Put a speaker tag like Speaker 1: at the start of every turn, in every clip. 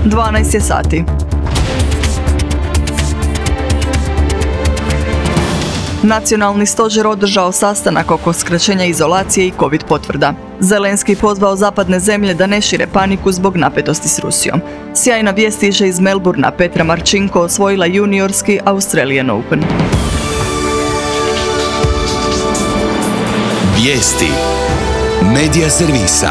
Speaker 1: 12 je sati. Nacionalni stožer održao sastanak oko skraćenja izolacije i COVID potvrda. Zelenski pozvao zapadne zemlje da ne šire paniku zbog napetosti s Rusijom. Sjajna vijest stiže iz Melbourna. Petra Marčinko osvojila juniorski Australian Open.
Speaker 2: Vijesti Medija servisa.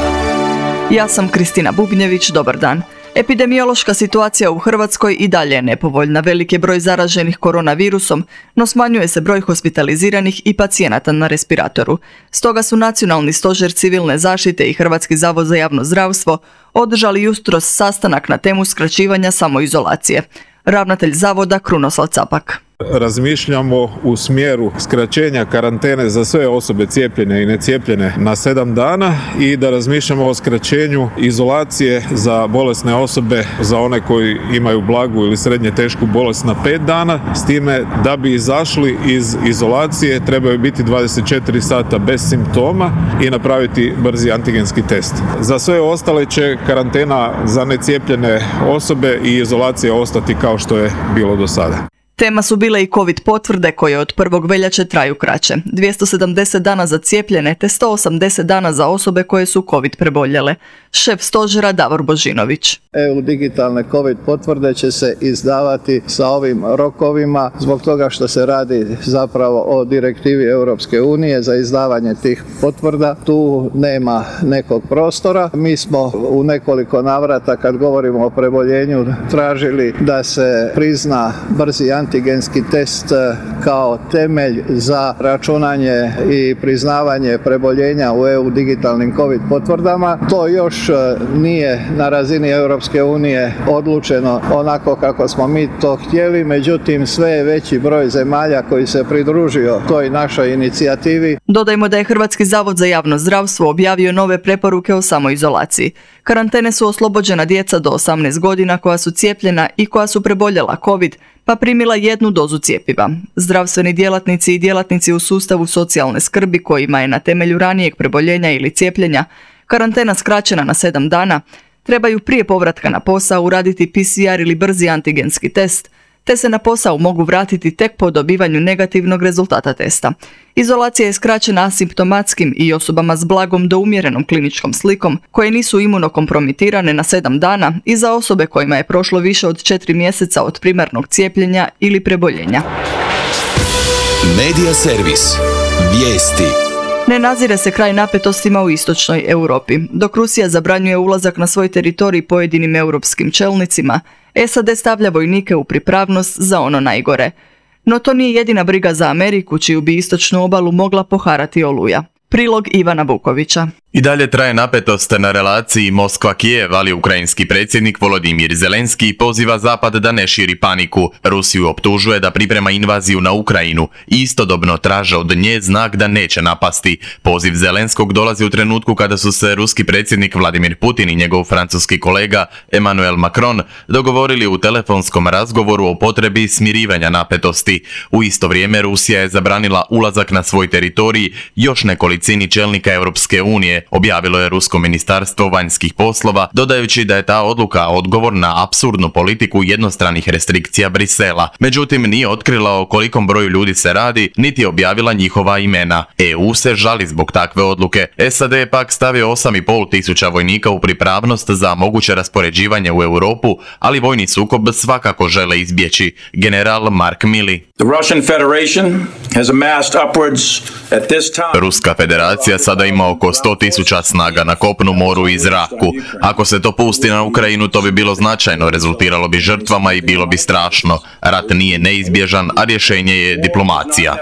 Speaker 1: Ja sam Kristina Bubnjević, dobar dan. Epidemiološka situacija u Hrvatskoj i dalje je nepovoljna. Velik je broj zaraženih koronavirusom, no smanjuje se broj hospitaliziranih i pacijenata na respiratoru. Stoga su Nacionalni stožer civilne zaštite i Hrvatski zavod za javno zdravstvo održali jutros sastanak na temu skraćivanja samoizolacije. Ravnatelj zavoda Krunoslav Capak.
Speaker 3: Razmišljamo u smjeru skraćenja karantene za sve osobe cijepljene i necijepljene na 7 dana i da razmišljamo o skraćenju izolacije za bolesne osobe, za one koji imaju blagu ili srednje tešku bolest na 5 dana, s time da bi izašli iz izolacije trebaju biti 24 sata bez simptoma i napraviti brzi antigenski test. Za sve ostale će karantena za necijepljene osobe i izolacija ostati kao što je bilo do sada.
Speaker 1: Tema su bile i COVID potvrde koje od 1. veljače traju kraće. 270 dana za cijepljene te 180 dana za osobe koje su COVID preboljele. Šef stožera Davor Božinović.
Speaker 4: EU digitalne COVID potvrde će se izdavati sa ovim rokovima zbog toga što se radi zapravo o direktivi Europske unije za izdavanje tih potvrda. Tu nema nekog prostora. Mi smo u nekoliko navrata kad govorimo o preboljenju tražili da se prizna brzi antigenski test kao temelj za računanje i priznavanje preboljenja u EU digitalnim COVID potvrdama. To još nije na razini Europske unije odlučeno onako kako smo mi to htjeli, međutim sve je veći broj zemalja koji se pridružio toj našoj inicijativi.
Speaker 1: Dodajmo da je Hrvatski zavod za javno zdravstvo objavio nove preporuke o samoizolaciji. Karantene su oslobođena djeca do 18 godina koja su cijepljena i koja su preboljela COVID, pa primila 1 dozu cjepiva. Zdravstveni djelatnici i djelatnici u sustavu socijalne skrbi kojima je na temelju ranijeg preboljenja ili cijepljenja karantena skraćena na 7 dana, trebaju prije povratka na posao uraditi PCR ili brzi antigenski test, te se na posao mogu vratiti tek po dobivanju negativnog rezultata testa. Izolacija je skraćena asimptomatskim i osobama s blagom do umjerenom kliničkom slikom koje nisu imunokompromitirane na 7 dana i za osobe kojima je prošlo više od 4 mjeseca od primarnog cijepljenja ili preboljenja.
Speaker 2: Medija servis. Vijesti.
Speaker 1: Ne nazire se kraj napetostima u istočnoj Europi. Dok Rusija zabranjuje ulazak na svoj teritorij pojedinim europskim čelnicima, SAD stavlja vojnike u pripravnost za ono najgore. No to nije jedina briga za Ameriku, čiju bi istočnu obalu mogla poharati oluja. Prilog Ivana Vukovića.
Speaker 5: I dalje traje napetost na relaciji Moskva-Kijev, ali ukrajinski predsjednik Volodimir Zelenski poziva Zapad da ne širi paniku. Rusiju optužuje da priprema invaziju na Ukrajinu i istodobno traže od nje znak da neće napasti. Poziv Zelenskog dolazi u trenutku kada su se ruski predsjednik Vladimir Putin i njegov francuski kolega Emmanuel Macron dogovorili u telefonskom razgovoru o potrebi smirivanja napetosti. U isto vrijeme Rusija je zabranila ulazak na svoj teritorij još nekolicini čelnika Europske unije, objavilo je Rusko ministarstvo vanjskih poslova, dodajući da je ta odluka odgovor na apsurdnu politiku jednostranih restrikcija Brisela. Međutim, nije otkrila o kolikom broju ljudi se radi, niti objavila njihova imena. EU se žali zbog takve odluke. SAD je pak stavio 8,5 tisuća vojnika u pripravnost za moguće raspoređivanje u Europu, ali vojni sukob svakako žele izbjeći. General Mark Milley. Ruska federacija sada ima oko 100.000 snaga na kopnu, moru i zraku. Ako se to pusti na Ukrajinu, to bi bilo značajno, rezultiralo bi žrtvama i bilo bi strašno. Rat nije neizbježan, a rješenje je diplomacija.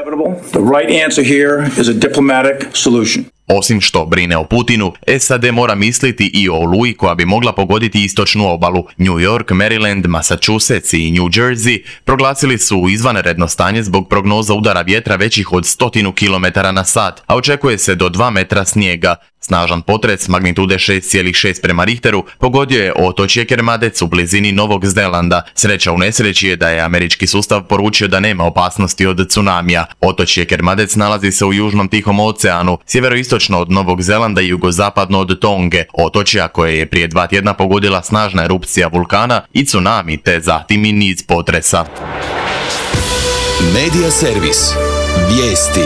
Speaker 5: Osim što brine o Putinu, SAD mora misliti i o oluji koja bi mogla pogoditi istočnu obalu. New York, Maryland, Massachusetts i New Jersey proglasili su izvanredno stanje zbog prognoza udara vjetra većih od 100 km na sat, a očekuje se do 2 metra snijega. Snažan potres magnitude 6,6 prema Richteru pogodio je otočje Kermadec u blizini Novog Zelanda. Sreća u nesreći je da je američki sustav poručio da nema opasnosti od tsunamija. Otočje Kermadec nalazi se u Južnom Tihom oceanu, sjeveroistočno od Novog Zelanda i jugozapadno od Tonge, otočja koje je prije 2 tjedna pogodila snažna erupcija vulkana i tsunami, te zatim i niz potresa.
Speaker 2: Medija servis. Vijesti.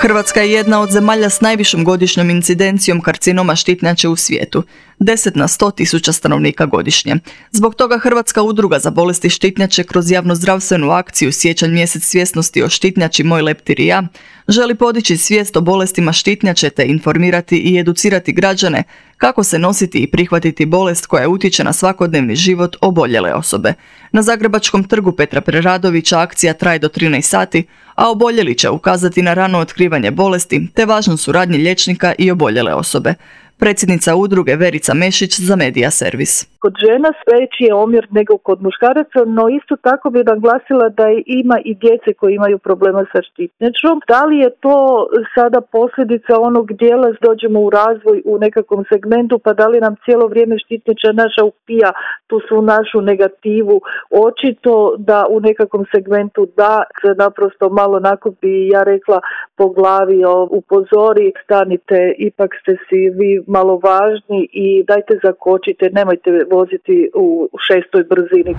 Speaker 1: Hrvatska je jedna od zemalja s najvišom godišnjom incidencijom karcinoma štitnjače u svijetu, 10 na 100.000 stanovnika godišnje. Zbog toga Hrvatska udruga za bolesti štitnjače kroz javnozdravstvenu akciju Siječanj mjesec svjesnosti o štitnjači Moj leptir i ja želi podići svijest o bolestima štitnjače te informirati i educirati građane kako se nositi i prihvatiti bolest koja utječe na svakodnevni život oboljele osobe. Na Zagrebačkom trgu Petra Preradovića akcija traje do 13 sati, a oboljeli će ukazati na rano otkrivanje bolesti te važnu suradnju liječnika i oboljele osobe. Predsjednica udruge Verica Mešić za Medija servis.
Speaker 6: Kod žena veći je omjer nego kod muškaraca, no isto tako bi naglasila da ima i djece koji imaju problema sa štitnjačom. Da li je to sada posljedica onog dijela dođemo u razvoj u nekakvom segmentu, pa da li nam cijelo vrijeme štitnjača naša upija tu su našu negativu? Očito da u nekakvom segmentu da se naprosto malo nakupi, ja rekla po glavi, upozori, stanite, ipak ste si vi malo važni i dajte zakočite, nemojte voziti u 6. brzini.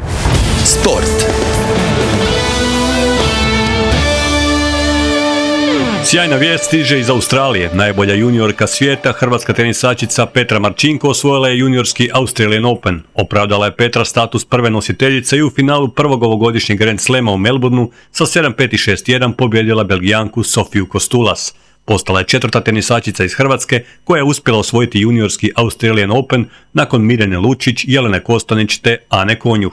Speaker 2: Sport.
Speaker 7: Sjajna vijest stiže iz Australije. Najbolja juniorka svijeta, hrvatska tenisačica Petra Marčinko osvojila je juniorski Australian Open. Opravdala je Petra status prve nositeljice i u finalu prvog ovogodišnjeg Grand Slama u Melbourneu sa 7-5 i 6-1 pobjedila Belgijanku Sofiju Kostulas. Postala je 4. tenisačica iz Hrvatske koja je uspjela osvojiti juniorski Australian Open nakon Mirjane Lučić, Jelene Kostanić te Ane Konjuh.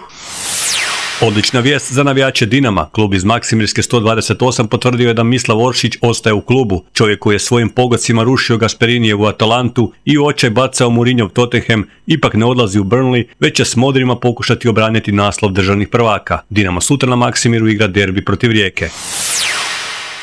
Speaker 7: Odlična vijest za navijače Dinama. Klub iz Maksimirske 128 potvrdio je da Mislav Oršić ostaje u klubu. Čovjek koji je svojim pogodcima rušio Gasperinijevu Atalantu i u očaj bacao Mourinhov Tottenham ipak ne odlazi u Burnley, već će s modrima pokušati obraniti naslov državnih prvaka. Dinamo sutra na Maksimiru igra derbi protiv Rijeke.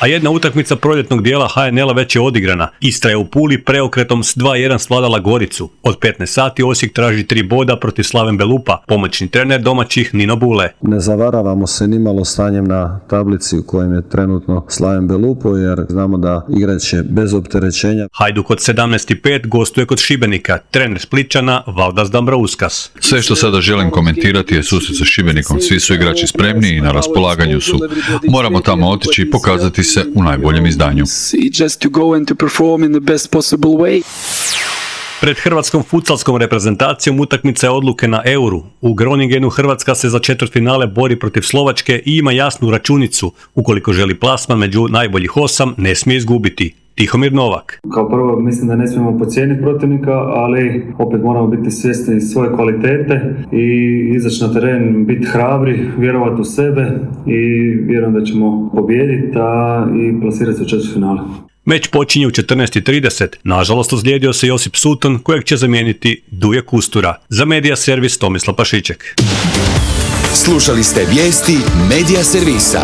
Speaker 7: A jedna utakmica proljetnog dijela HNL-a već je odigrana. Istra je u Puli preokretom s 2-1 svladala Goricu. Od 15 sati Osijek traži 3 boda protiv Slaven Belupa. Pomoćni trener domaćih Nino Bule.
Speaker 8: Ne zavaravamo se nimalo stanjem na tablici u kojem je trenutno Slaven Belupo, jer znamo da igrat će bez opterećenja.
Speaker 7: Hajduk od 17:05 gostuje kod Šibenika. Trener Spličana Valdas Dambrauskas.
Speaker 9: Sve što sada želim komentirati je susret sa Šibenikom. Svi su igrači spremni i na raspolaganju su. Moramo tamo otići i pokazati se u najboljem izdanju.
Speaker 7: Pred hrvatskom futsalskom reprezentacijom utakmica je odluke na Euru. U Groningenu Hrvatska se za četvrtfinale bori protiv Slovačke i ima jasnu računicu. Ukoliko želi plasman među najboljih 8, ne smije izgubiti. Tihomir Novak.
Speaker 10: Kao prvo mislim da ne smijemo podcijeniti protivnika, ali opet moramo biti svjesni svoje kvalitete i izaći na teren, biti hrabri, vjerovati u sebe i vjerujem da ćemo pobijediti i plasirati se u četvrtfinale.
Speaker 7: Meč počinje u 14:30. Nažalost, ozlijedio se Josip Sutton, kojeg će zamijeniti Duje Kustura. Za Medija servis Tomislav Pašiček.
Speaker 2: Slušali ste vijesti Medija servisa.